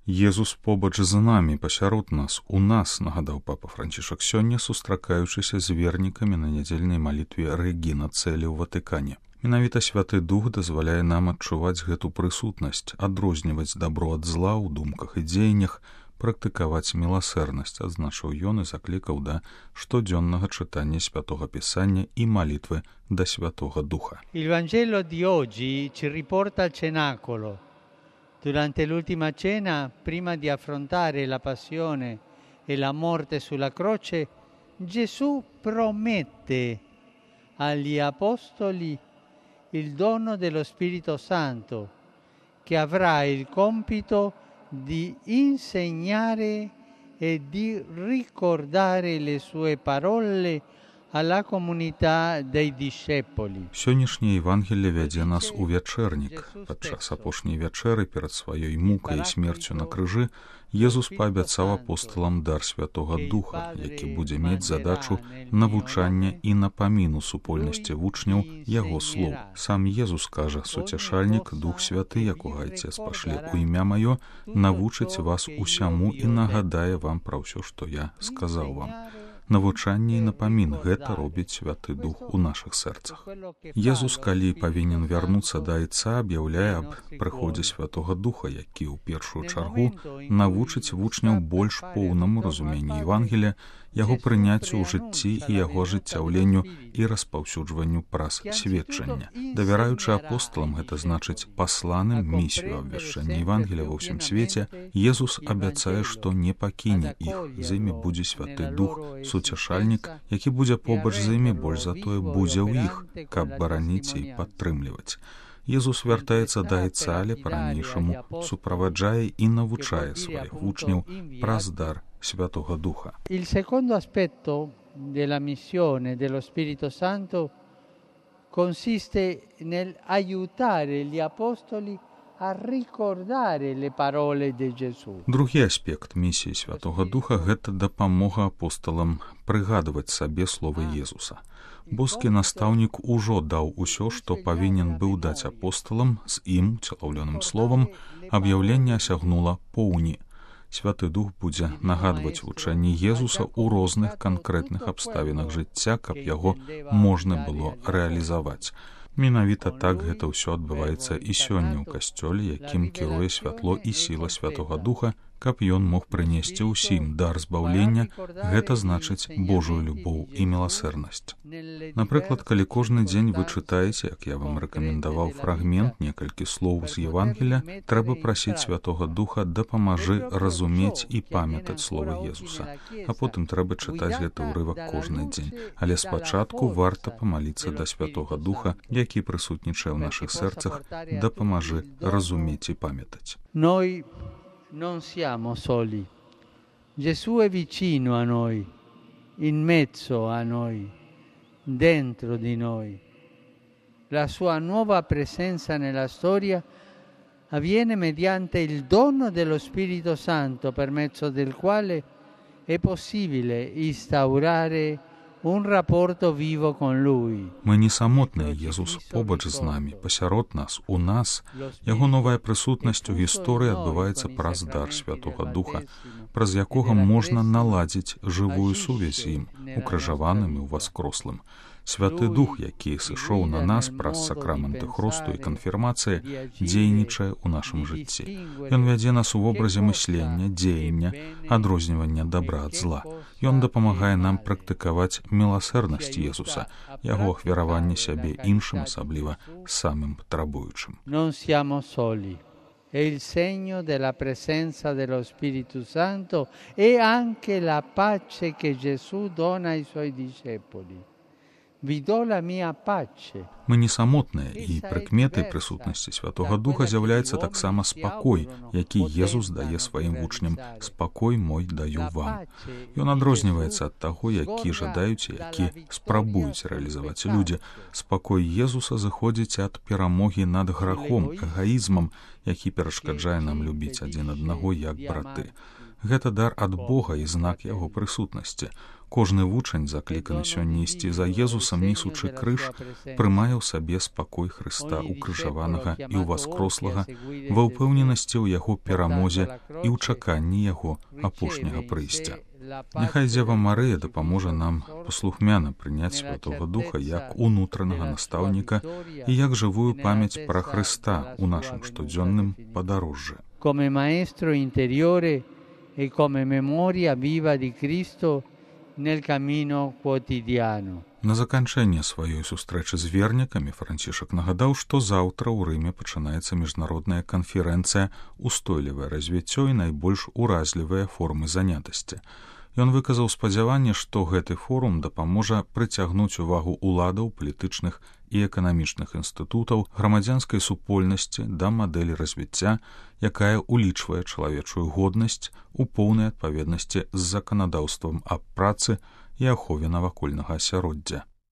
Езус побач з намі, пасярод нас, у нас, нагадаў папа Францішак сёння, сустракаючыся з вернікамі на нядзельнай малітве Рэгіна Цэлі ў Ватыкане. Менавіта Святы Дух дазваляе нам адчуваць гэту прысутнасць, адрозніваць дабро ад зла ў думках і дзеяннях, практыкаваць міласэрнасць, адзначыў ён і заклікаў да штодзённага чытання Святога Пісання і малітвы да Святога Духа. Il Vangelo di oggi ci riporta al cenacolo. Durante l'ultima cena, prima di affrontare la passione e la morte sulla croce, Gesù promette agli apostoli il dono dello Spirito Santo, che avrà il compito di insegnare e di ricordare le sue parole alla comunità dei discepoli. Сённяшняе Евангелие вядзе нас у вячэрнік. Падчас апошняй вячэры перад сваёй мукай і смерцю на крыжы Езус паабяцаў апосталам дар Святога Духа, які будзе мець задачу навучання і напаміну супольнасці вучняў яго слоў. Сам Езус кажа: «Суцяшальнік, Дух Святы, якога Айцец пашле ў імя маё, навучыць вас усяму і нагадае вам пра ўсё, што я сказаў вам». Навучанне і напамін — гэта робіць Святы Дух у нашых сэрцах. Езус, калі павінен вярнуцца да Айца, аб'яўляе аб прыходзе Святога Духа, які ў першую чаргу навучыць вучняў больш поўнаму разуменню Евангелія, яго прыняццю ў жыцці і яго ажыццяўленню і распаўсюджванню праз сведчання. Давяраючы апосталам, гэта значыць пасланым місію абвяшчання Евангелія ва ўсім свеце, Езус абяцае, што не пакіне іх, з імі будзе Святы Дух, суцяшальнік, які будзе побач з імі, больш затое будзе ў іх, каб бараніць і падтрымліваць. Езус вяртаецца да Айца, але па-ранейшаму суправаджае і навучае сваіх вучняў праз дар Святого Духа. Il secondo aspetto della missione dello Spirito Santo consiste nel aiutare gli apostoli a ricordare le parole di Gesù. Другі аспект місіі Святога Духа — гэта дапамога апосталам прыгадваць сабе словы Езуса. Боскі настаўнік ужо даў усё, што павінен быў даць апосталам, з ім, уцелаўлёным словам, аб'яўленне асягнула поўні. Святы Дух будзе нагадваць вучэнні Езуса ў розных канкрэтных абставінах жыцця, каб яго можна было рэалізаваць. Менавіта так гэта ўсё адбываецца і сёння ў касцёле, якім кіруе святло і сіла Святога Духа, каб ён мог прынесці ўсім дар збаўлення, гэта значыць Божую любоў і міласэрнасць. Напрыклад, калі кожны дзень вы чытаеце, як я вам рэкамендаваў, фрагмент, некалькі слоў з Евангелія, трэба прасіць Святога Духа: дапамажы разумець і памятаць словы Езуса. А потым трэба чытаць гэты ўрывак кожны дзень. Але спачатку варта памаліцца да Святога Духа, які прысутнічае ў нашых сэрцах, дапамажы разумець і памятаць. Non siamo soli. Gesù è vicino a noi, in mezzo a noi, dentro di noi. La sua nuova presenza nella storia avviene mediante il dono dello Spirito Santo, per mezzo del quale è possibile instaurare un rapporto vivo con Lui. Мы не самотныя, Езус побач з намі, пасярод нас, у нас. Яго новая прысутнасць у гісторыі адбываецца праз дар Святога Духа, праз якога можна наладзіць жывую сувязь з ім, укрыжаваным і ўваскрослым. Святы Дух, які сышоў на нас праз сакрамэнты хросту і канфірмацыі, дзейнічае ў нашым жыцці. Ён вядзе нас у вобразе мыслення, дзеяння, адрознівання дабра ад зла. Ён дапамагае нам практыкаваць міласэрнасць Езуса, яго ахвяраванне сябе іншым, асабліва самым патрабуючым. Non siamo soli. È il segno della presenza dello Spirito Santo e anche la pace che Gesù dona ai suoi discepoli. Мы не самотныя, і прыкметай прысутнасці Святога Духа з'яўляецца таксама спакой, які Езус дае сваім вучням. «Спакой мой даю вам». Ён адрозніваецца ад таго, які жадаюць і які спрабуюць рэалізаваць людзі. Спакой Езуса зыходзіць ад перамогі над грахом, эгаізмам які перашкаджае нам любіць адзін аднаго як браты. Гэта дар ад Бога і знак яго прысутнасці. Кожны вучань, закліканы сёння ісці за Езусам, несучы крыж, прымае ў сабе спакой Хрыста укрыжаванага і ўваскрослага ва ўпэўненасці ў яго перамозе і ў чаканні яго апошняга прыйсця. Няхай Дзева Марыя дапаможа нам паслухмяна прыняць Святога Духа як унутранага настаўніка і як жывую памяць пра Хрыста ў нашым штодзённым падарожжы. Come maestro interiore e come memoria viva di Cristo nel cammino quotidiano. На заканчэнне сваёй сустрэчы з вернікамі Францішак нагадаў, што заўтра ў Рыме пачынаецца міжнародная канферэнцыя «Устойлівае развіццё і найбольш уразлівыя формы занятасці». Ён выказаў спадзяванне, што гэты форум дапаможа прыцягнуць увагу ўладаў, палітычных і эканамічных інстытутаў, грамадзянскай супольнасці да мадэлі развіцця, якая улічвае чалавечую годнасць у поўнай адпаведнасці з заканадаўствам аб працы і ахове навакольнага асяроддзя.